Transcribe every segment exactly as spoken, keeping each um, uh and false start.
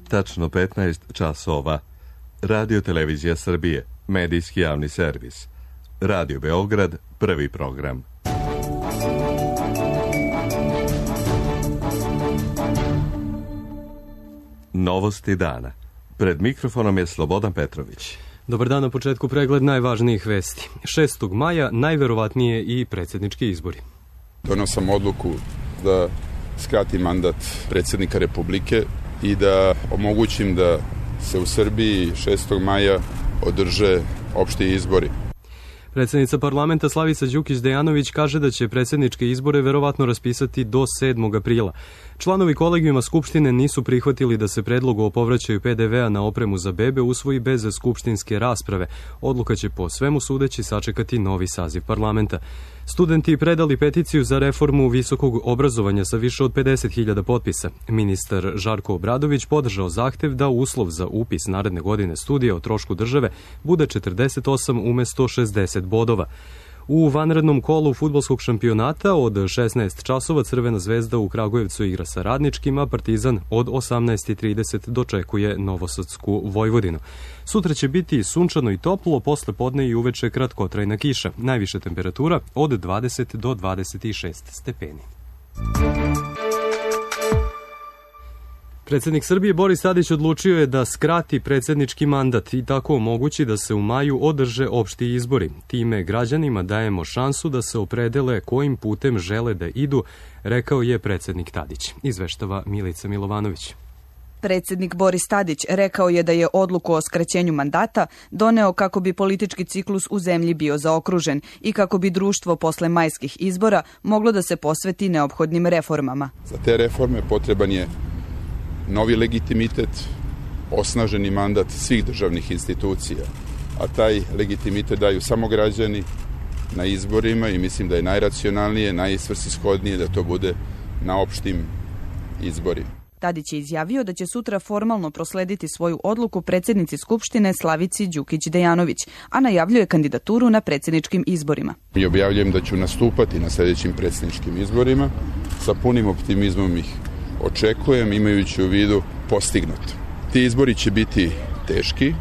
tačno petnaest časova. Radio Televizija Srbije, medijski javni servis. Radio Beograd, prvi program. Novosti dana. Pred mikrofonom je Slobodan Petrović. Dobar dan, na početku pregled najvažnijih vesti. šestog maja najverovatnije i predsjednički izbori. Donosam odluku da skratim mandat predsjednika Republike i da omogućim da se u Srbiji šestog maja održe opšti izbori. Predsjednica parlamenta Slavica Đukić-Dejanović kaže da će predsjedničke izbore verovatno raspisati do sedmog aprila. Članovi kolegijuma Skupštine nisu prihvatili da se predlog o povraćaju pe de vea na opremu za bebe usvoji bez skupštinske rasprave. Odluka će po svemu sudeći sačekati novi saziv parlamenta. Studenti predali peticiju za reformu visokog obrazovanja sa više od pedeset hiljada potpisa. Ministar Žarko Obradović podržao zahtev da uslov za upis naredne godine studija o trošku države bude četrdeset osam umesto šezdeset bodova. U vanrednom kolu fudbalskog šampionata od šesnaest časova Crvena zvezda u Kragujevcu igra sa Radničkim, a Partizan od osamnaest i trideset dočekuje Novosadsku Vojvodinu. Sutra će biti sunčano i toplo, posle podne i uveče kratkotrajna kiša. Najviša temperatura od dvadeset do dvadeset šest stepeni. Predsjednik Srbije Boris Tadić odlučio je da skrati predsjednički mandat i tako omogući da se u maju održe opšti izbori. Time građanima dajemo šansu da se opredele kojim putem žele da idu, rekao je predsjednik Tadić. Izveštava Milica Milovanović. Predsjednik Boris Tadić rekao je da je odluku o skraćenju mandata doneo kako bi politički ciklus u zemlji bio zaokružen i kako bi društvo posle majskih izbora moglo da se posveti neophodnim reformama. Za te reforme potreban je novi legitimitet, osnaženi mandat svih državnih institucija, a taj legitimitet daju samo građani na izborima i mislim da je najracionalnije, najsvrsishodnije da to bude na opštim izborima. Tadić je izjavio da će sutra formalno proslediti svoju odluku predsjednici Skupštine Slavici Đukić-Dejanović, a najavljuje kandidaturu na predsjedničkim izborima. I objavljujem da ću nastupati na sljedećim predsjedničkim izborima, sa punim optimizmom ih očekujem, imajući u vidu postignuto. Ti izbori će biti teški,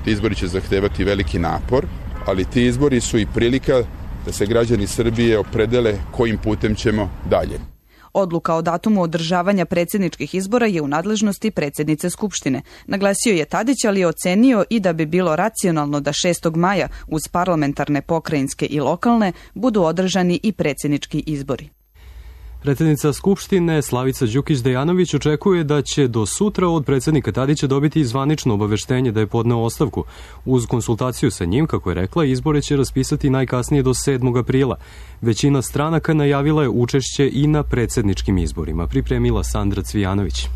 ti izbori će zahtevati veliki napor, ali ti izbori su i prilika da se građani Srbije opredele kojim putem ćemo dalje. Odluka o datumu održavanja predsjedničkih izbora je u nadležnosti predsjednice Skupštine. Naglasio je Tadić, ali je ocenio i da bi bilo racionalno da šestog maja uz parlamentarne, pokrajinske i lokalne budu održani i predsjednički izbori. Predsjednica Skupštine Slavica Đukić-Dejanović očekuje da će do sutra od predsjednika Tadića dobiti zvanično obaveštenje da je podneo ostavku. Uz konsultaciju sa njim, kako je rekla, izbore će raspisati najkasnije do sedmog aprila. Većina stranaka najavila je učešće i na predsjedničkim izborima, pripremila Sandra Cvijanović.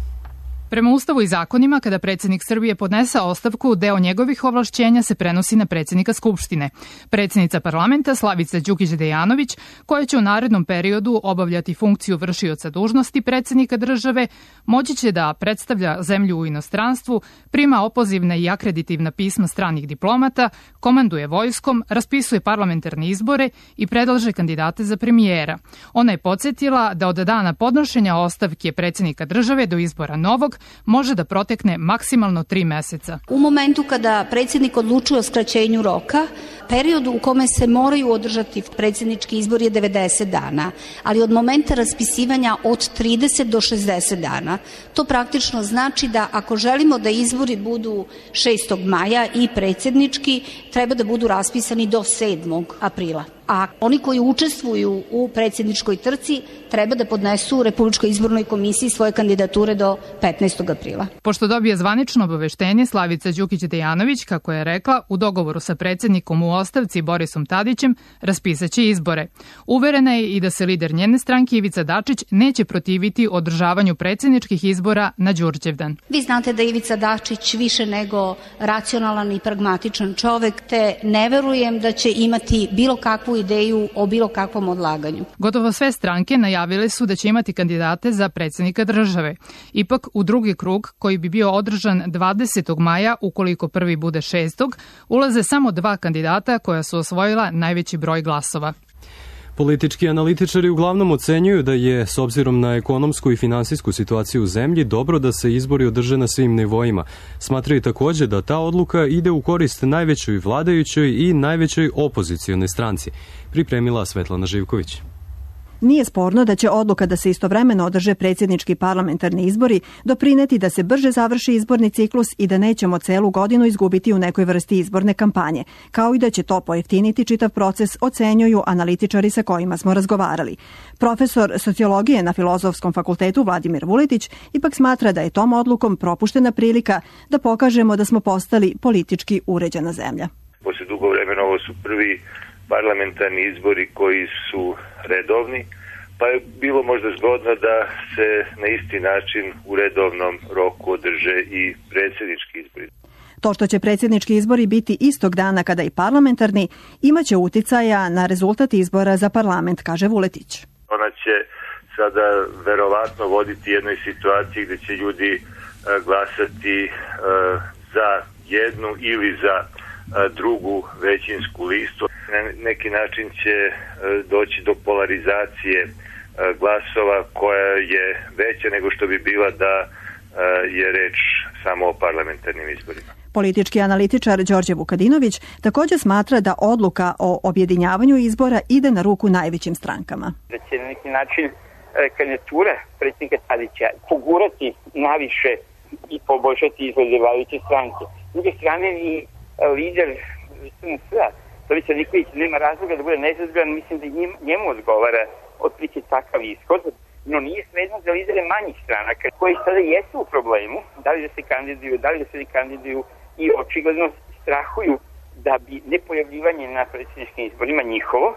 Prema Ustavu i zakonima, kada predsjednik Srbije podnese ostavku, deo njegovih ovlašćenja se prenosi na predsjednika Skupštine. Predsjednica parlamenta Slavica Đukić-Dejanović, koja će u narednom periodu obavljati funkciju vršioca dužnosti predsjednika države, moći će da predstavlja zemlju u inostranstvu, prima opozivne i akreditivna pisma stranih diplomata, komanduje vojskom, raspisuje parlamentarne izbore i predlaže kandidate za premijera. Ona je podsjetila da od dana podnošenja ostavke predsjednika države do izbora novog može da protekne maksimalno tri meseca. U momentu kada predsjednik odlučuje o skraćenju roka, period u kome se moraju održati predsjednički izbor je devedeset dana, ali od momenta raspisivanja od trideset do šezdeset dana. To praktično znači da ako želimo da izbori budu šestog maja i predsjednički, treba da budu raspisani do sedmog aprila. A oni koji učestvuju u predsjedničkoj trci treba da podnesu Republičkoj izbornoj komisiji svoje kandidature do petnaestog aprila. Pošto dobije zvanično obaveštenje, Slavica Đukić-Dejanović, kako je rekla, u dogovoru sa predsjednikom u ostavci Borisom Tadićem raspisaće izbore. Uverena je i da se lider njene stranke Ivica Dačić neće protiviti održavanju predsjedničkih izbora na Đurđevdan. Vi znate da je Ivica Dačić više nego racionalan i pragmatičan čovek, te ne verujem da će imati bilo kakvu ideju o bilo kakvom odlaganju. Gotovo sve stranke najavile su da će imati kandidate za predsjednika države. Ipak u drugi krug, koji bi bio održan dvadesetog maja, ukoliko prvi bude šestog, ulaze samo dva kandidata koja su osvojila najveći broj glasova. Politički analitičari uglavnom ocenjuju da je, s obzirom na ekonomsku i finansijsku situaciju u zemlji, dobro da se izbori održe na svim nivoima. Smatraju također da ta odluka ide u korist najvećoj vladajućoj i najvećoj opozicionoj stranci. Pripremila Svetlana Živković. Nije sporno da će odluka da se istovremeno održe predsjednički parlamentarni izbori doprineti da se brže završi izborni ciklus i da nećemo celu godinu izgubiti u nekoj vrsti izborne kampanje, kao i da će to pojeftiniti čitav proces, ocenjuju analitičari sa kojima smo razgovarali. Profesor sociologije na Filozofskom fakultetu Vladimir Vuletić ipak smatra da je tom odlukom propuštena prilika da pokažemo da smo postali politički uređena zemlja. Posle dugo vremena ovo su prvi parlamentarni izbori koji su redovni, pa je bilo možda zgodno da se na isti način u redovnom roku održe i predsjednički izbori. To što će predsjednički izbori biti istog dana kada i parlamentarni, imaće uticaja na rezultat izbora za parlament, kaže Vuletić. Ona će sada verovatno voditi jednoj situaciji gdje će ljudi glasati za jednu ili za drugu većinsku listu. Na neki način će doći do polarizacije glasova koja je veća nego što bi bila da je reč samo o parlamentarnim izborima. Politički analitičar Đorđe Vukadinović također smatra da odluka o objedinjavanju izbora ide na ruku najvećim strankama. Da će na neki način kandidatura predsjednika Tadića pogurati naviše i poboljšati izglede vladajuće stranke. S druge strane i lider S N S-a, Tomislav Nikolić, nema razloga da bude nezadovoljan, mislim da njemu odgovara otprilike takav ishod, no nije svejedno za lidere manjih stranaka koji sada jesu u problemu, da li da se kandiduju, da li da se ne kandiduju i očigledno strahuju da bi nepojavljivanje na predsjedničkim izborima njihovo,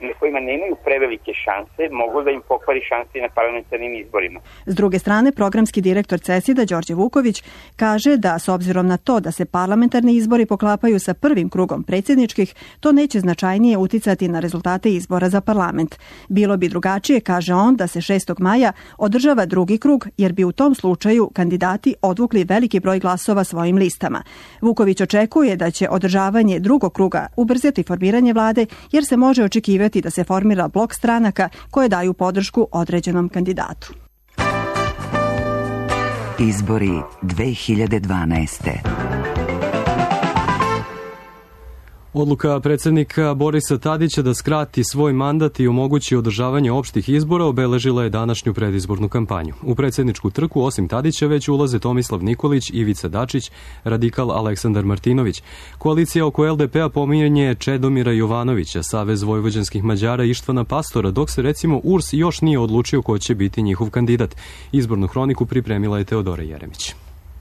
na kojima nemaju prevelike šanse, mogu da im pokvari šanse na parlamentarnim izborima. S druge strane, programski direktor CESID-a Đorđe Vuković kaže da s obzirom na to da se parlamentarni izbori poklapaju sa prvim krugom predsjedničkih, to neće značajnije uticati na rezultate izbora za parlament. Bilo bi drugačije, kaže on, da se šestog maja održava drugi krug, jer bi u tom slučaju kandidati odvukli veliki broj glasova svojim listama. Vuković očekuje da će održavanje drugog kruga ubrzati formiranje vlade, jer se može očekivati da se formira blok stranaka koje daju podršku određenom kandidatu. Izbori dve hiljade dvanaeste. Odluka predsjednika Borisa Tadića da skrati svoj mandat i omogući održavanje opštih izbora obeležila je današnju predizbornu kampanju. U predsjedničku trku osim Tadića već ulaze Tomislav Nikolić, Ivica Dačić, radikal Aleksandar Martinović. Koalicija oko L D P-a pominje Čedomira Jovanovića, Savez vojvođanskih Mađara Ištvana Pastora, dok se recimo U R S još nije odlučio ko će biti njihov kandidat. Izbornu hroniku pripremila je Teodora Jeremić.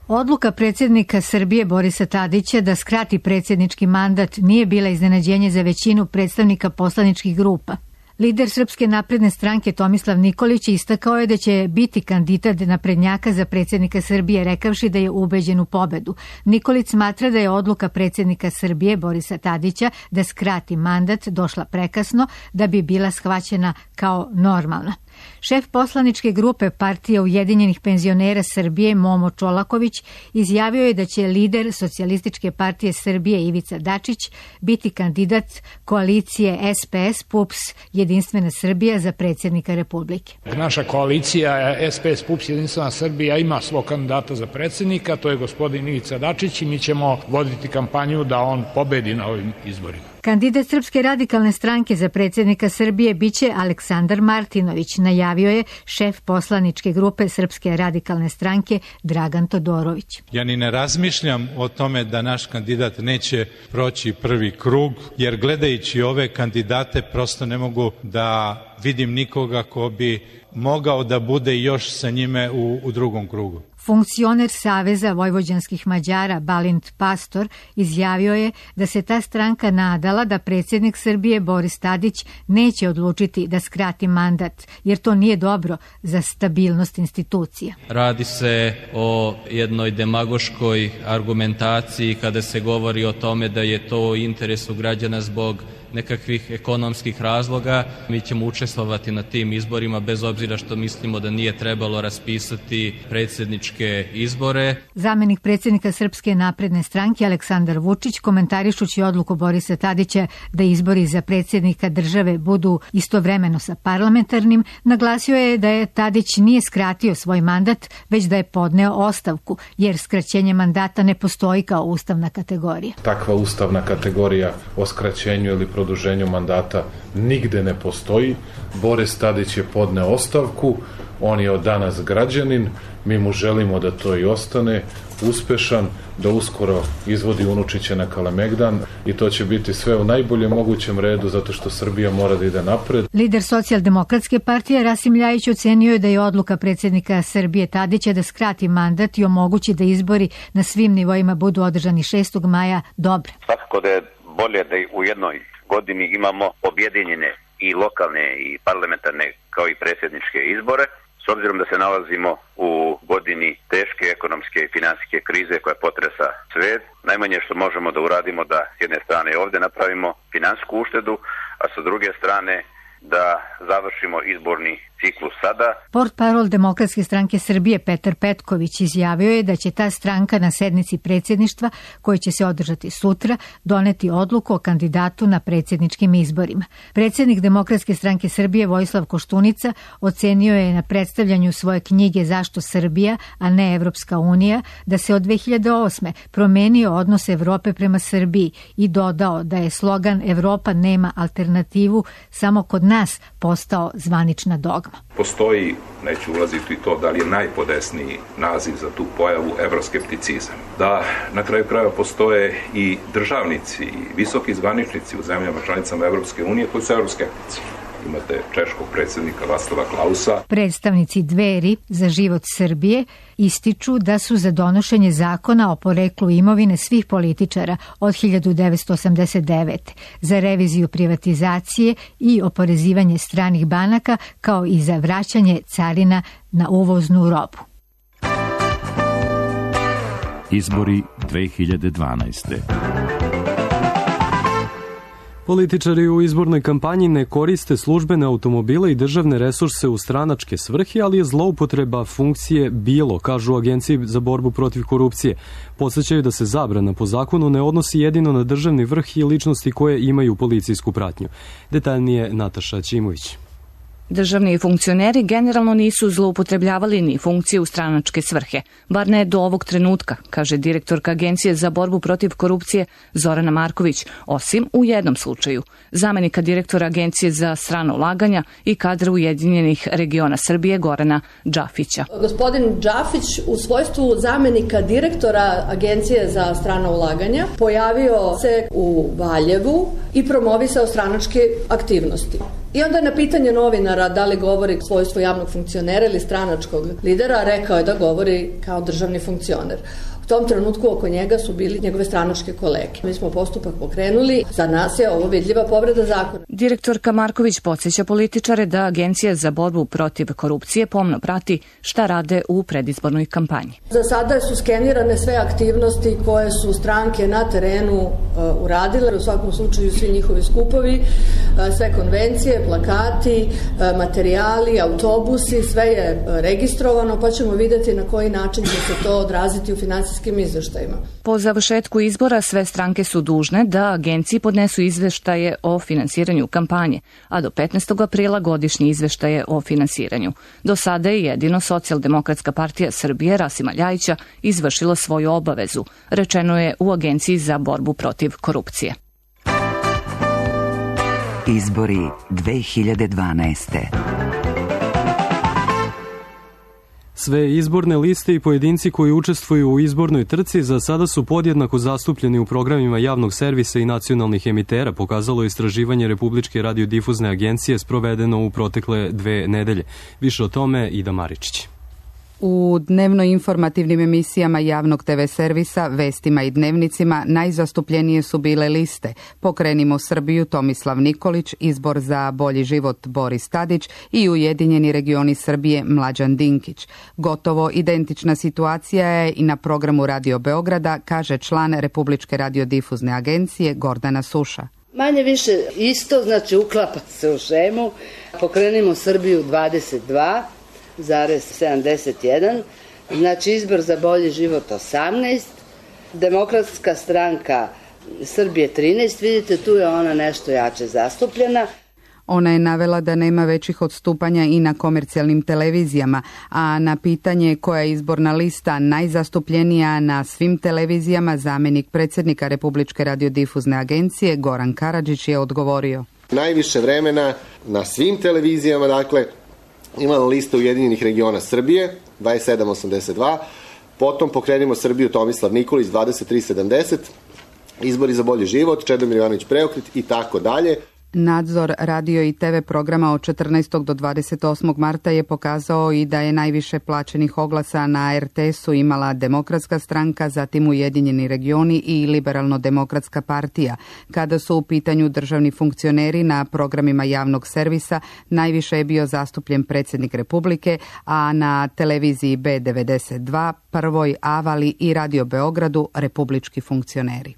Odluka predsjednika Srbije Borisa Tadića da skrati predsjednički mandat nije bila iznenađenje za većinu predstavnika poslaničkih grupa. Lider Srpske napredne stranke Tomislav Nikolić istakao je da će biti kandidat naprednjaka za predsjednika Srbije, rekavši da je ubeđen u pobedu. Nikolić smatra da je odluka predsjednika Srbije Borisa Tadića da skrati mandat došla prekasno da bi bila shvaćena kao normalna. Šef poslaničke grupe Partije Ujedinjenih penzionera Srbije Momo Čolaković izjavio je da će lider Socijalističke partije Srbije Ivica Dačić biti kandidat koalicije S P S P U P S Jedinstvena Srbija za predsjednika Republike. Naša koalicija S P S P U P S Jedinstvena Srbija ima svog kandidata za predsjednika, to je gospodin Ivica Dačić i mi ćemo voditi kampanju da on pobedi na ovim izborima. Kandidat Srpske radikalne stranke za predsjednika Srbije biće Aleksandar Martinović, najavio je šef poslaničke grupe Srpske radikalne stranke Dragan Todorović. Ja ni ne razmišljam o tome da naš kandidat neće proći prvi krug, jer gledajući ove kandidate prosto ne mogu da vidim nikoga ko bi mogao da bude još sa njime u, u drugom krugu. Funkcioner Saveza vojvođanskih Mađara Balint Pastor izjavio je da se ta stranka nadala da predsjednik Srbije Boris Tadić neće odlučiti da skrati mandat, jer to nije dobro za stabilnost institucija. Radi se o jednoj demagoškoj argumentaciji kada se govori o tome da je to u interesu građana zbog nekakvih ekonomskih razloga. Mi ćemo učestvovati na tim izborima bez obzira što mislimo da nije trebalo raspisati predsjednički predsjedničke izbore. Zamenik predsjednika Srpske napredne stranke Aleksandar Vučić, komentarišući odluku Borisa Tadića da izbori za predsjednika države budu istovremeno sa parlamentarnim, naglasio je da je Tadić nije skratio svoj mandat, već da je podneo ostavku, jer skraćenje mandata ne postoji kao ustavna kategorija. Takva ustavna kategorija o skraćenju ili produženju mandata nigde ne postoji. Boris Tadić je podneo ostavku, on je od danas građanin, mi mu želimo da to i ostane uspešan, da uskoro izvodi unučiće na Kalemegdan i to će biti sve u najboljem mogućem redu zato što Srbija mora da ide napred. Lider Socijaldemokratske partije Rasim Ljajić ocenio je da je odluka predsjednika Srbije Tadića da skrati mandat i omogući da izbori na svim nivoima budu održani šestog maja dobra. Svakako da je bolje da u jednoj godini imamo objedinjene i lokalne i parlamentarne kao i predsjedničke izbore. S obzirom da se nalazimo u godini teške ekonomske i finansijske krize koja potresa svet, najmanje što možemo da uradimo da s jedne strane ovdje napravimo finansijsku uštedu, a sa druge strane da završimo izborni ciklus sada. Portparol Demokratske stranke Srbije Petar Petković izjavio je da će ta stranka na sednici predsjedništva, koja će se održati sutra, doneti odluku o kandidatu na predsjedničkim izborima. Predsjednik Demokratske stranke Srbije Vojislav Koštunica ocenio je na predstavljanju svoje knjige Zašto Srbija, a ne Evropska unija, da se od dve hiljade osme promenio odnos Evrope prema Srbiji i dodao da je slogan Evropa nema alternativu samo kod nas postao zvanična dogma. Postoji, neću ulaziti u to da li je najpodesniji naziv za tu pojavu, evroskepticizam. Da na kraju krajeva postoje i državnici i visoki zvaničnici u zemljama članicama Evropske unije koji su evroskeptici. Imate češkog predsjednika Václava Klausa. Predstavnici Dveri za život Srbije ističu da su za donošenje zakona o poreklu imovine svih političara od hiljadu devetsto osamdeset devete. za reviziju privatizacije i oporezivanje stranih banaka, kao i za vraćanje carina na uvoznu robu. Izbori dve hiljade dvanaeste. Političari u izbornoj kampanji ne koriste službene automobile i državne resurse u stranačke svrhe, ali je zloupotreba funkcije bilo, kažu u Agenciji za borbu protiv korupcije. Podsećaju da se zabrana po zakonu ne odnosi jedino na državni vrh i ličnosti koje imaju policijsku pratnju. Detaljnije Nataša Ćimović. Državni funkcioneri generalno nisu zloupotrebljavali ni funkcije u stranačke svrhe, bar ne do ovog trenutka, kaže direktorka Agencije za borbu protiv korupcije Zorana Marković, osim u jednom slučaju, zamenika direktora Agencije za strana ulaganja i kadra Ujedinjenih regiona Srbije Gorana Džafića. Gospodin Džafić u svojstvu zamenika direktora Agencije za strana ulaganja pojavio se u Valjevu i promovisao stranačke aktivnosti. I onda na pitanje novinara da li govori svojstvo javnog funkcionera ili stranačkog lidera, rekao je da govori kao državni funkcioner. U tom trenutku oko njega su bili njegove stranačke kolege. Mi smo postupak pokrenuli, za nas je ovo vidljiva povreda zakona. Direktorka Marković podsjeća političare da Agencija za borbu protiv korupcije pomno prati šta rade u predizbornoj kampanji. Za sada su skenirane sve aktivnosti koje su stranke na terenu uh, uradile, u svakom slučaju svi njihovi skupovi, uh, sve konvencije, plakati, uh, materijali, autobusi, sve je uh, registrovano, pa ćemo vidjeti na koji način će se to odraziti u finansijskim izveštajima. Po završetku izbora sve stranke su dužne da agenciji podnesu izveštaje o finansiranju kampanje, a do petnaestog aprila godišnji izveštaje o finansiranju. Do sada je jedino Socijaldemokratska partija Srbije Rasima Ljajića izvršila svoju obavezu, rečeno je u Agenciji za borbu protiv korupcije. Izbori dve hiljade dvanaeste. Sve izborne liste i pojedinci koji učestvuju u izbornoj trci za sada su podjednako zastupljeni u programima javnog servisa i nacionalnih emitera, pokazalo istraživanje Republičke radiodifuzne agencije sprovedeno u protekle dve nedelje. Više o tome Ida Maričić. U dnevno informativnim emisijama javnog te ve servisa, vestima i dnevnicima najzastupljenije su bile liste Pokrenimo Srbiju Tomislav Nikolić, Izbor za bolji život Boris Tadić i Ujedinjeni regioni Srbije Mlađan Dinkić. Gotovo identična situacija je i na programu Radio Beograda, kaže član Republičke radiodifuzne agencije Gordana Suša. Manje više isto, znači uklapa se u šemu. Pokrenimo Srbiju dvadeset dva zarez sedamdeset jedan, Znači izbor za bolji život osamnaest, Demokratska stranka Srbije trinaest, vidite tu je ona nešto jače zastupljena. Ona je navela da nema većih odstupanja i na komercijalnim televizijama, a na pitanje koja je izborna lista najzastupljenija na svim televizijama, zamjenik predsjednika Republičke radiodifuzne agencije Goran Karadžić je odgovorio. Najviše vremena na svim televizijama, dakle, imala lista Ujedinjenih regiona Srbije, dvadeset sedam osamdeset dva, potom Pokrenimo Srbiju Tomislav Nikolić, dvadeset tri sedamdeset, Izbori za bolji život, Čedomir Jovanović Preokret i tako dalje. Nadzor radio i te ve programa od četrnaestog do dvadeset osmog marta je pokazao i da je najviše plaćenih oglasa na er te esu imala Demokratska stranka, zatim Ujedinjeni regioni i Liberalno-demokratska partija. Kada su u pitanju državni funkcioneri na programima javnog servisa, najviše je bio zastupljen predsjednik Republike, a na televiziji be devedeset dva, Prvoj, Avali i Radio Beogradu republički funkcioneri.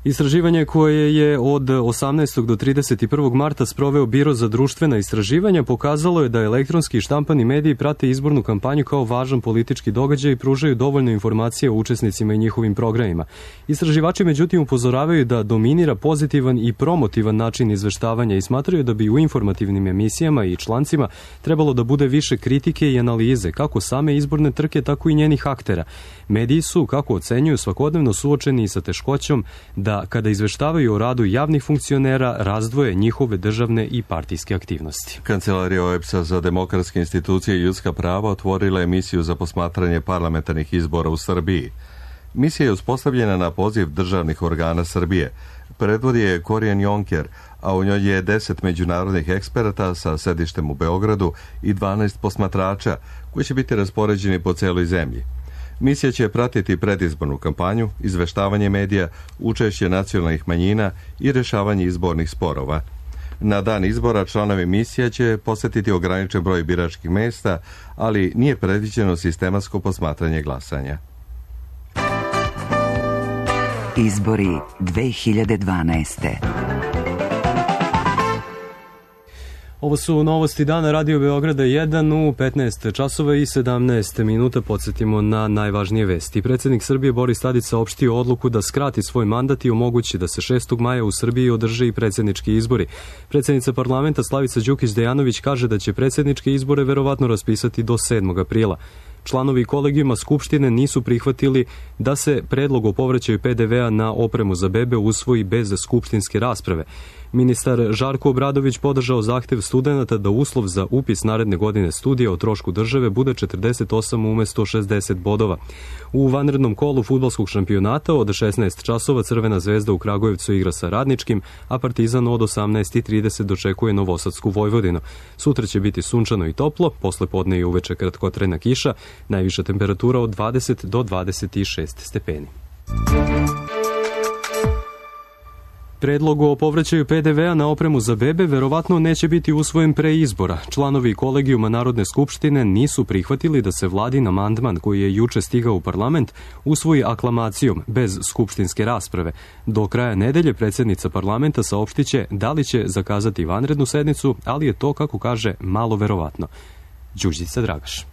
Istraživanje koje je od osamnaestog do trideset prvog marta sproveo Biro za društvena istraživanja pokazalo je da elektronski i štampani mediji prate izbornu kampanju kao važan politički događaj i pružaju dovoljno informacije o učesnicima i njihovim programima. Istraživači međutim upozoravaju da dominira pozitivan i promotivan način izveštavanja i smatraju da bi u informativnim emisijama i člancima trebalo da bude više kritike i analize, kako same izborne trke, tako i njenih aktera. Mediji su, kako ocenjuju, svakodnevno suočeni i sa teškoćom da kada izveštavaju o radu javnih funkcionera razdvoje njihove državne i partijske aktivnosti. Kancelarija o e pe es-a za demokratske institucije i ljudska prava otvorila emisiju za posmatranje parlamentarnih izbora u Srbiji. Misija je uspostavljena na poziv državnih organa Srbije. Predvodi je Korijan Jonker, a u njoj je deset međunarodnih eksperata sa sedištem u Beogradu i dvanaest posmatrača koji će biti raspoređeni po celoj zemlji. Misija će pratiti predizbornu kampanju, izveštavanje medija, učešće nacionalnih manjina i rješavanje izbornih sporova. Na dan izbora članovi misija će posjetiti ograničen broj biračkih mjesta, ali nije predviđeno sistematsko posmatranje glasanja. Izbori dve hiljade dvanaeste. Ovo su novosti dana Radio Beograda jedan u petnaest časova i sedamnaest minuta. Podsjetimo na najvažnije vesti. Predsjednik Srbije Boris Tadić saopštio odluku da skrati svoj mandat i omogući da se šestog maja u Srbiji održe i predsjednički izbori. Predsjednica parlamenta Slavica Đukić Dejanović kaže da će predsjedničke izbore verovatno raspisati do sedmog aprila. Članovi kolegijuma Skupštine nisu prihvatili da se predlog o povraćaju pe de vea na opremu za bebe usvoji bez skupštinske rasprave. Ministar Žarko Obradović podržao zahtev studenata da uslov za upis naredne godine studija o trošku države bude četrdeset osam umjesto šezdeset bodova. U vanrednom kolu fudbalskog šampionata od šesnaest časova Crvena zvezda u Kragujevcu igra sa Radničkim, a Partizan od osamnaest i trideset dočekuje Novosadsku Vojvodinu. Sutra će biti sunčano i toplo, posle podne i uveče kratkotrajna kiša, najviša temperatura od dvadeset do dvadeset šest stepeni. Predlog o povraćaju pe de vea na opremu za bebe verovatno neće biti usvojen pre izbora. Članovi kolegijuma Narodne skupštine nisu prihvatili da se vladin amandman koji je juče stigao u parlament usvoji aklamacijom bez skupštinske rasprave. Do kraja nedelje predsjednica parlamenta saopštiće da li će zakazati vanrednu sednicu, ali je to, kako kaže, malo verovatno. Đurđica Dragaš.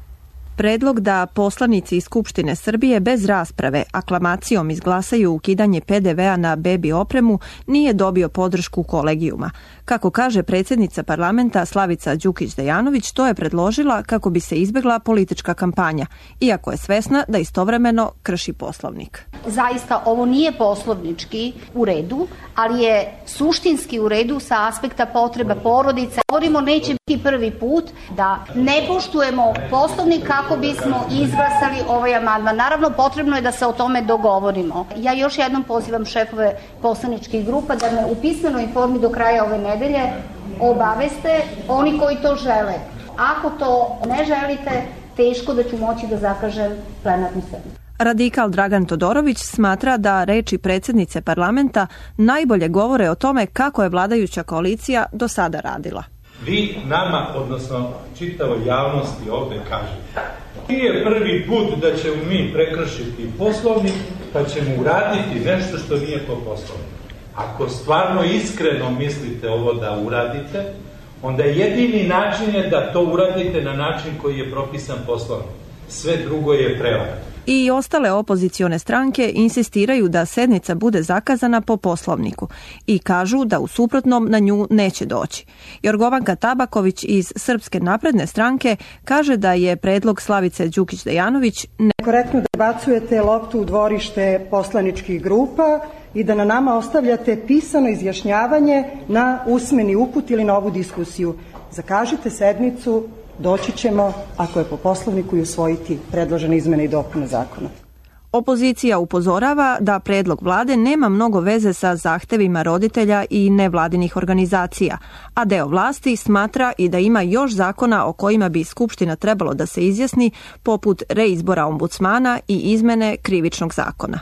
Predlog da poslanici iz Skupštine Srbije bez rasprave aklamacijom izglasaju ukidanje pe de vea na bebi opremu nije dobio podršku kolegijuma. Kako kaže predsjednica parlamenta Slavica Đukić Dejanović, to je predložila kako bi se izbjegla politička kampanja, iako je svesna da istovremeno krši Poslovnik. Zaista ovo nije poslovnički u redu, ali je suštinski u redu sa aspekta potreba porodice. Govorimo, neće biti prvi put da ne poštujemo Poslovnik kako bismo izglasali ovaj amandman. Naravno, potrebno je da se o tome dogovorimo. Ja još jednom pozivam šefove poslaničkih grupa da me u pismenoj formi do kraja ove nedelje obaveste oni koji to žele. Ako to ne želite, teško da ću moći da zakažem plenarnu sednicu. Radikal Dragan Todorović smatra da reči predsjednice parlamenta najbolje govore o tome kako je vladajuća koalicija do sada radila. Vi nama, odnosno čitavoj javnosti ovdje kažete, nije prvi put da ćemo mi prekršiti Poslovnik pa ćemo uraditi nešto što nije po Poslovniku. Ako stvarno iskreno mislite ovo da uradite, onda jedini način je da to uradite na način koji je propisan Poslovnik. Sve drugo je prevara. I ostale opozicione stranke insistiraju da sednica bude zakazana po Poslovniku i kažu da u suprotnom na nju neće doći. Jorgovanka Tabaković iz Srpske napredne stranke kaže da je predlog Slavice Đukić-Dejanović nekorektno da bacujete loptu u dvorište poslaničkih grupa i da na nama ostavljate pisano izjašnjavanje na usmeni uput ili na ovu diskusiju. Zakažite sednicu, doći ćemo, ako je po Poslovniku, i usvojiti predložene izmene i dopune zakona. Opozicija upozorava da predlog vlade nema mnogo veze sa zahtevima roditelja i nevladinih organizacija, a deo vlasti smatra i da ima još zakona o kojima bi Skupština trebalo da se izjasni, poput reizbora ombudsmana i izmene krivičnog zakona.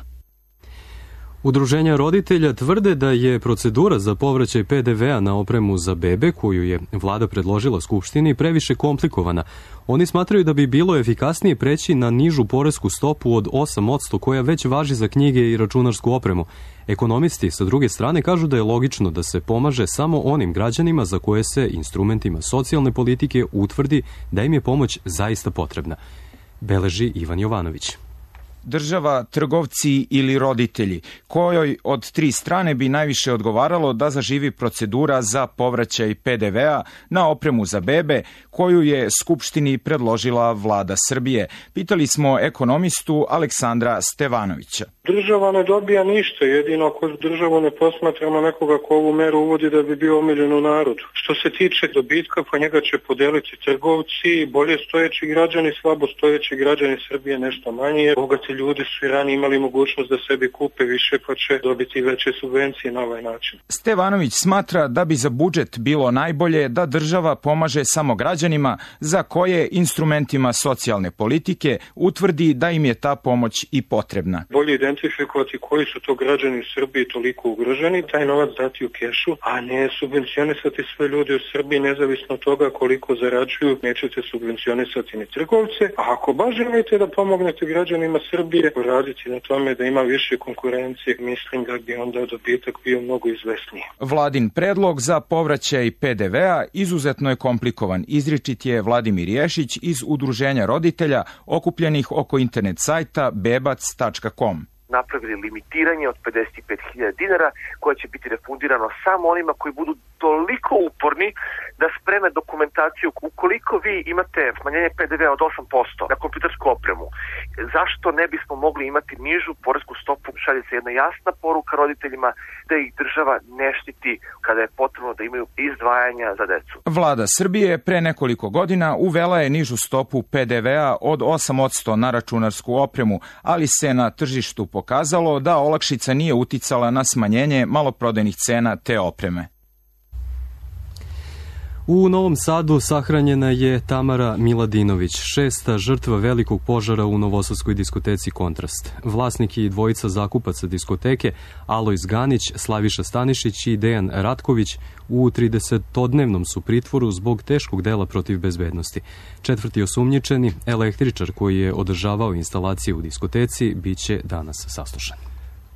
Udruženja roditelja tvrde da je procedura za povraćaj pe de vea na opremu za bebe, koju je vlada predložila Skupštini, previše komplikovana. Oni smatraju da bi bilo efikasnije preći na nižu poresku stopu od osam posto koja već važi za knjige i računarsku opremu. Ekonomisti sa druge strane kažu da je logično da se pomaže samo onim građanima za koje se instrumentima socijalne politike utvrdi da im je pomoć zaista potrebna. Beleži Ivan Jovanović. Država, trgovci ili roditelji, kojoj od tri strane bi najviše odgovaralo da zaživi procedura za povraćaj pe de vea na opremu za bebe, koju je Skupštini predložila vlada Srbije. Pitali smo ekonomistu Aleksandra Stevanovića. Država ne dobija ništa, jedino ako državu ne posmatramo nekoga ko ovu meru uvodi da bi bio omiljen u narodu. Što se tiče dobitka, pa njega će podeliti trgovci, bolje stojeći građani, slabo stojeći građani Srbije nešto manje. Bogati ljudi su i ranije imali mogućnost da sebi kupe više, pa će dobiti veće subvencije na ovaj način. Stevanović smatra da bi za budžet bilo najbolje da država pomaže samo građanima za koje instrumentima socijalne politike utvrdi da im je ta pomoć i potrebna. Bolje identifikovati koji su to građani u Srbiji toliko ugroženi, taj novac dati u kešu, a ne subvencionisati sve ljudi u Srbiji, nezavisno od toga koliko zarađuju, nećete subvencionisati ni trgovce, a ako baš želite da pomognete građanima Srbije, raditi na tome da ima više konkurencije, mislim da bi onda dobitak bio mnogo izvesniji. Vladin predlog za povraćaj pe de vea izuzetno je komplikovan, izričit je Vladimir Ješić iz Udruženja roditelja okupljenih oko internet sajta bebac tačka com. Napravili limitiranje od pedeset pet hiljada dinara koje će biti refundirano samo onima koji budu toliko uporni da spreme dokumentaciju. Ukoliko vi imate smanjenje pe de vea od osam posto na kompjutersku opremu, zašto ne bismo mogli imati nižu poresku stopu? Šalje se jedna jasna poruka roditeljima da ih država ne štiti kada je potrebno da imaju izdvajanja za decu. Vlada Srbije pre nekoliko godina uvela je nižu stopu pe de vea od osam posto na računarsku opremu, ali se na tržištu pokazalo da olakšica nije uticala na smanjenje maloprodajnih cena te opreme. U Novom Sadu sahranjena je Tamara Miladinović, šesta žrtva velikog požara u novosadskoj diskoteci Kontrast. Vlasnik i dvojica zakupaca diskoteke, Alojz Ganić, Slaviša Stanišić i Dejan Ratković, u tridesetodnevnom su pritvoru zbog teškog dela protiv bezbednosti. Četvrti osumnjičeni, električar koji je održavao instalacije u diskoteci, biće danas saslušan.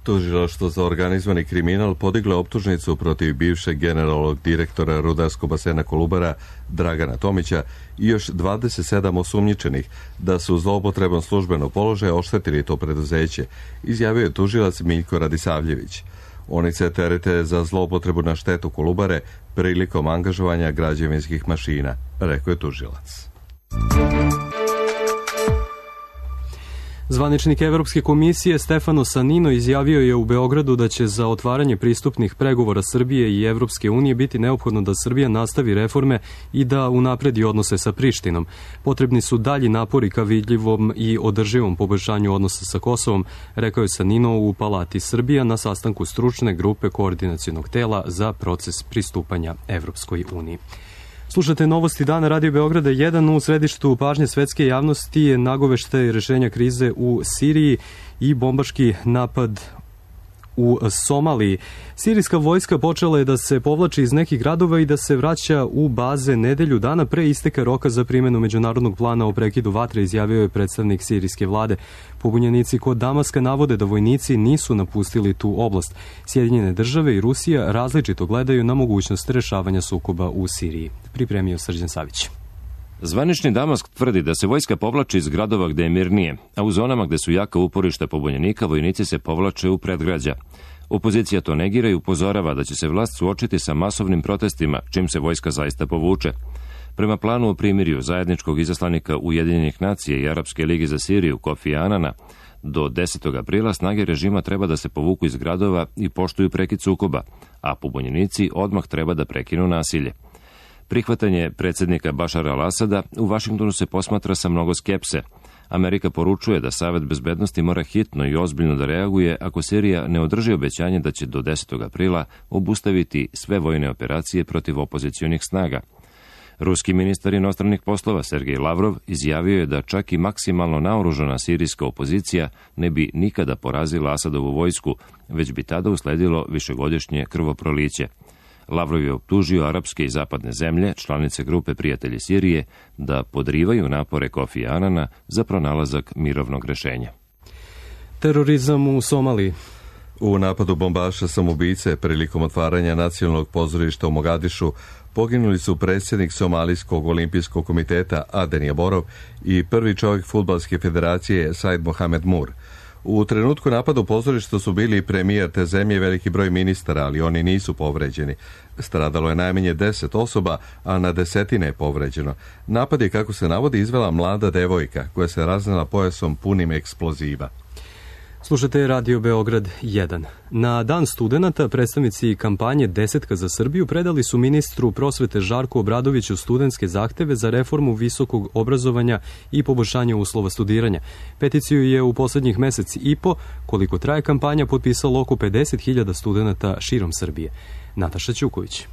Tužilaštvo za organizovani kriminal podiglo je optužnicu protiv bivšeg generalnog direktora rudarskog basena Kolubara Dragana Tomića i još dvadeset sedam osumnjičenih da su zloupotrebom službenog položaja oštetili to preduzeće, izjavio je tužilac Miljko Radisavljević. Oni se terete za zloupotrebu na štetu Kolubare prilikom angažovanja građevinskih mašina, rekao je tužilac. Zvaničnik Evropske komisije Stefano Sanino izjavio je u Beogradu da će za otvaranje pristupnih pregovora Srbije i Evropske unije biti neophodno da Srbija nastavi reforme i da unapredi odnose sa Prištinom. Potrebni su dalji napori ka vidljivom i održivom poboljšanju odnosa sa Kosovom, rekao je Sanino u Palati Srbija na sastanku stručne grupe koordinacionog tela za proces pristupanja Evropskoj uniji. Slušate novosti dana Radio Beograda jedan. U središtu pažnje svetske javnosti je nagoveštaj rešenja krize u Siriji i bombaški napad u Somaliji. Sirijska vojska počela je da se povlači iz nekih gradova i da se vraća u baze nedelju dana pre isteka roka za primjenu međunarodnog plana o prekidu vatre, izjavio je predstavnik sirijske vlade. Pobunjenici kod Damaska navode da vojnici nisu napustili tu oblast. Sjedinjene države i Rusija različito gledaju na mogućnost rešavanja sukoba u Siriji. Pripremio Srđan Savić. Zvanični Damask tvrdi da se vojska povlači iz gradova gde je mirnije, a u zonama gde su jaka uporišta pobunjenika vojnici se povlače u predgrađa. Opozicija to negira i upozorava da će se vlast suočiti sa masovnim protestima, čim se vojska zaista povuče. Prema planu o primirju zajedničkog izaslanika Ujedinjenih nacija i Arapske lige za Siriju Kofi Anana, do desetog aprila snage režima treba da se povuku iz gradova i poštuju prekid sukoba, a pobunjenici odmah treba da prekinu nasilje. Prihvatanje predsjednika Bašara al-Asada u Vašingtonu se posmatra sa mnogo skepse. Amerika poručuje da Savet bezbednosti mora hitno i ozbiljno da reaguje ako Sirija ne održi obećanje da će do desetog aprila obustaviti sve vojne operacije protiv opozicionih snaga. Ruski ministar inostranih poslova Sergej Lavrov izjavio je da čak i maksimalno naoružana sirijska opozicija ne bi nikada porazila Asadovu vojsku, već bi tada usledilo višegodišnje krvoproliće. Lavrov je optužio arapske i zapadne zemlje, članice grupe Prijatelji Sirije, da podrivaju napore Kofi Anana za pronalazak mirovnog rešenja. Terorizam u Somaliji. U napadu bombaša samoubice prilikom otvaranja nacionalnog pozorišta u Mogadišu poginuli su predsjednik Somalijskog olimpijskog komiteta Aden Jaborov i prvi čovjek Fudbalske federacije Said Mohamed Mur. U trenutku napada u pozorištu su bili premijer te zemlje i veliki broj ministara, ali oni nisu povređeni. Stradalo je najmanje deset osoba, a na desetine je povređeno. Napad je, kako se navodi, izvela mlada devojka koja se raznela pojasom punim eksploziva. Slušajte Radio Beograd jedan. Na Dan studenata predstavnici kampanje Desetka za Srbiju predali su ministru prosvete Žarku Obradoviću studentske zahteve za reformu visokog obrazovanja i poboljšanje uslova studiranja. Peticiju je u poslednjih meseci i po, koliko traje kampanja, potpisalo oko pedeset hiljada studenata širom Srbije. Nataša Ćuković.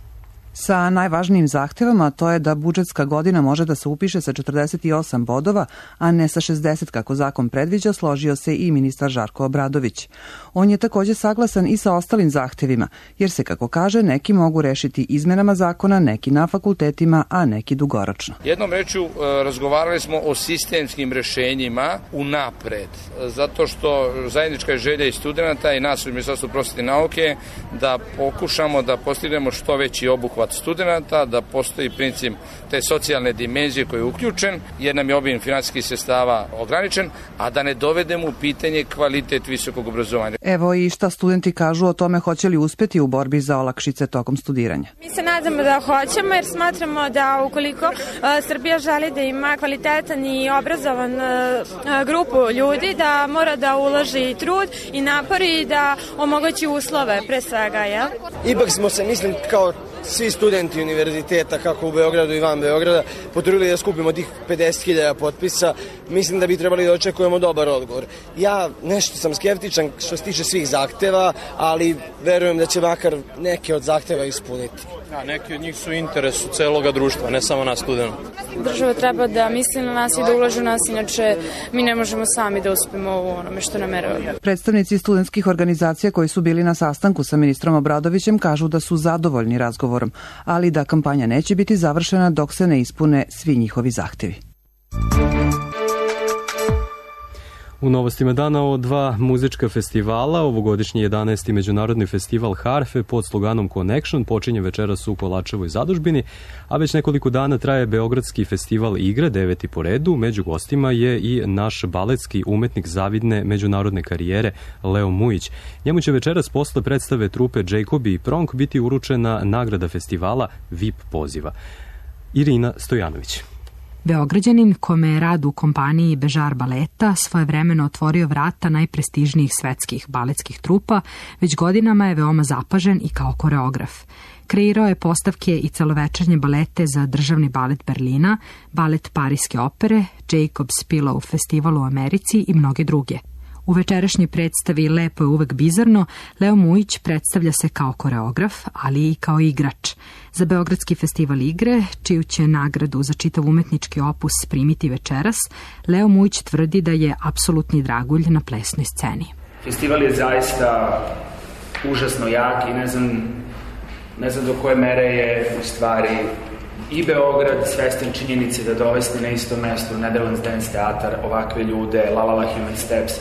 Sa najvažnijim zahtevama, to je da budžetska godina može da se upiše sa četrdeset osam bodova, a ne sa šezdeset kako zakon predviđa, složio se i ministar Žarko Obradović. On je takođe saglasan i sa ostalim zahtevima, jer se, kako kaže, neki mogu rešiti izmenama zakona, neki na fakultetima, a neki dugoročno. Jednom rečju razgovarali smo o sistemskim rešenjima unapred, zato što zajednička je želja i studenta i nas u Ministarstvu prosvete i nauke da pokušamo da postignemo što veći obuhvat studenta, da postoji princip te socijalne dimenzije koji je uključen, jer nam je obim finansijskih sredstava ograničen, a da ne dovedemo u pitanje kvalitet visokog obrazovanja. Evo i šta studenti kažu o tome hoće li uspeti u borbi za olakšice tokom studiranja. Mi se nadamo da hoćemo, jer smatramo da ukoliko uh, Srbija želi da ima kvalitetan i obrazovan uh, grupu ljudi, da mora da uloži trud i napori i da omogući uslove pre svega, jel? Ipak smo se, mislim, kao svi studenti univerziteta, kako u Beogradu i van Beograda, potrudili da skupimo tih pedeset hiljada potpisa. Mislim da bi trebali da očekujemo dobar odgovor. Ja nešto sam skeptičan što se tiče svih zahteva, ali verujem da će makar neke od zahteva ispuniti. A neki od njih su u interesu celoga društva, ne samo nas studenta. Država treba da misli na nas i da ulaže u nas, inače mi ne možemo sami da uspemo u onome što nameravamo. Predstavnici studentskih organizacija koji su bili na sastanku sa ministrom Obradovićem kažu da su zadovoljni razgovorom, ali da kampanja neće biti završena dok se ne ispune svi njihovi zahtevi. U novostima dana o dva muzička festivala, ovogodišnji jedanaesti Međunarodni festival harfe pod sloganom Connection počinje večeras u Kolačevoj zadužbini, a već nekoliko dana traje Beogradski festival igre, deveti po redu. Među gostima je i naš baletski umetnik zavidne međunarodne karijere Leo Mujić. Njemu će večeras posle predstave trupe Jacobi i Pronk biti uručena nagrada festivala V I P poziva. Irina Stojanović. Beograđanin, kome je rad u kompaniji Bežar baleta svojevremeno otvorio vrata najprestižnijih svetskih baletskih trupa, već godinama je veoma zapažen i kao koreograf. Kreirao je postavke i celovečernje balete za Državni balet Berlina, balet Pariske opere, Jacob's Pillow festival u Americi i mnoge druge. U večerašnjoj predstavi Lepo je uvek bizarno, Leo Mujić predstavlja se kao koreograf, ali i kao igrač. Za Beogradski festival igre, čiju će nagradu za čitav umetnički opus primiti večeras, Leo Mujić tvrdi da je apsolutni dragulj na plesnoj sceni. Festival je zaista užasno jak i ne znam, ne znam do koje mere je u stvari i Beograd svestan činjenice da dovesti na isto mesto Netherlands Dance Teatar ovakve ljude, La La La Human Steps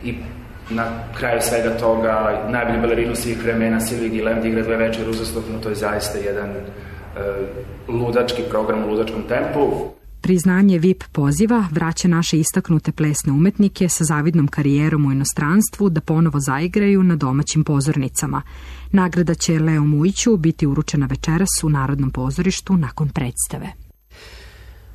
i na kraju svega toga najbolju balerinu svih vremena Sylvie Guillem da igra dve večere uzastopno, to je zaista jedan uh, ludački program u ludačkom tempu. Priznanje V I P poziva vraća naše istaknute plesne umetnike sa zavidnom karijerom u inostranstvu da ponovo zaigraju na domaćim pozornicama. Nagrada će Leo Mujiću biti uručena večeras u Narodnom pozorištu nakon predstave.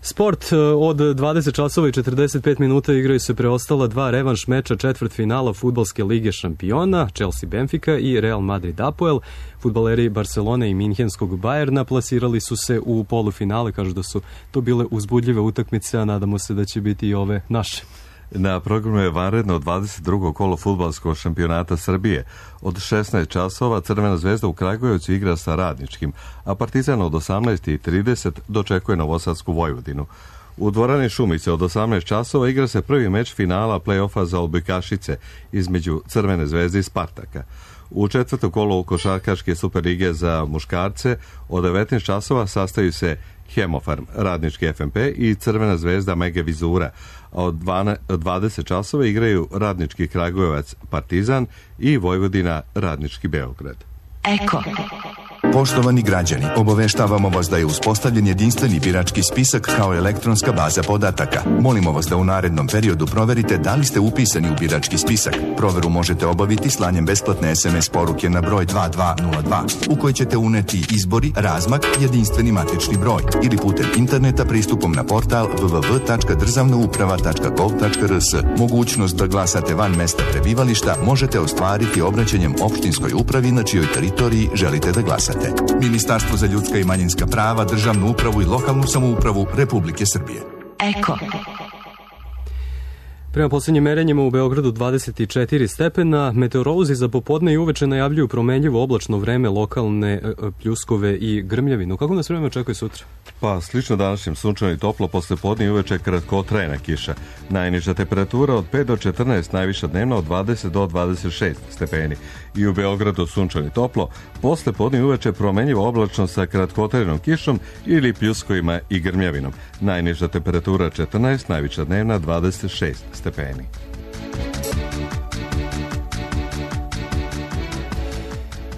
Sport, od dvadeset časova i četrdeset pet minuta igraju se preostala dva revanš meča četvrtfinala Fudbalske lige šampiona, Chelsea Benfica i Real Madrid Apoel. Fudbaleri Barcelone i Minhenskog Bayerna plasirali su se u polufinale, kažu da su to bile uzbudljive utakmice, a nadamo se da će biti i ove naše. Na programu je vanredno dvadeset drugo kolo fudbalskog šampionata Srbije. Od šesnaest časova Crvena zvezda u Kragujevcu igra sa Radničkim, a Partizan od osamnaest i trideset dočekuje Novosadsku Vojvodinu. U dvorani Šumice od osamnaest časova igra se prvi meč finala play-offa za odbojkašice između Crvene zvezde i Spartaka. U četvrto kolo košarkaške Superlige za muškarce od devetnaest časova sastaju se Hemofarm, Radnički F M P i Crvena zvezda Mega Vizura, a od dvadeset časova igraju Radnički Kragujevac Partizan i Vojvodina Radnički Beograd. Eko. Poštovani građani, obaveštavamo vas da je uspostavljen jedinstveni birački spisak kao elektronska baza podataka. Molimo vas da u narednom periodu proverite da li ste upisani u birački spisak. Proveru možete obaviti slanjem besplatne es em es poruke na broj dva dva nula dva u kojoj ćete uneti izbori, razmak, jedinstveni matični broj ili putem interneta pristupom na portal w w w tačka državna uprava tačka gov tačka r s. Mogućnost da glasate van mesta prebivališta možete ostvariti obraćanjem opštinskoj upravi na čijoj teritoriji želite da glasate. Ministarstvo za ljudska i manjinska prava, državnu upravu i lokalnu samoupravu Republike Srbije. Eko. Prema posljednjim merenjima u Beogradu dvadeset četiri stepena, meteorolozi za popodne i uveče najavljuju promenljivo oblačno vreme, lokalne pljuskove i grmljavinu. Kako nas vreme očekuje sutra? Pa slično današnjem, sunčano i toplo, posle podne i uveče kratkotrajna kiša. Najniža temperatura od pet do četrnaest, najviša dnevna od dvadeset do dvadeset šest stepeni. I u Beogradu sunčano i toplo, posle podne i uveče promenljivo oblačno sa kratkotrajnom kišom ili pljuskovima i grmljavinom. Najniža temperatura četrnaest, najviša dnevna dvadeset šest stepeni.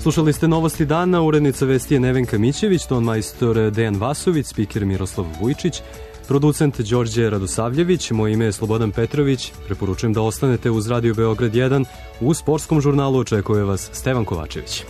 Slušali ste novosti dana, urednica vesti je Nevenka Mićević, ton majstor Dejan Vasović, spiker Miroslav Vujčić, producent Đorđe Radosavljević, moje ime je Slobodan Petrović. Preporučujem da ostanete uz Radio Beograd jedan. U sportskom žurnalu očekuje vas Stevan Kovačević.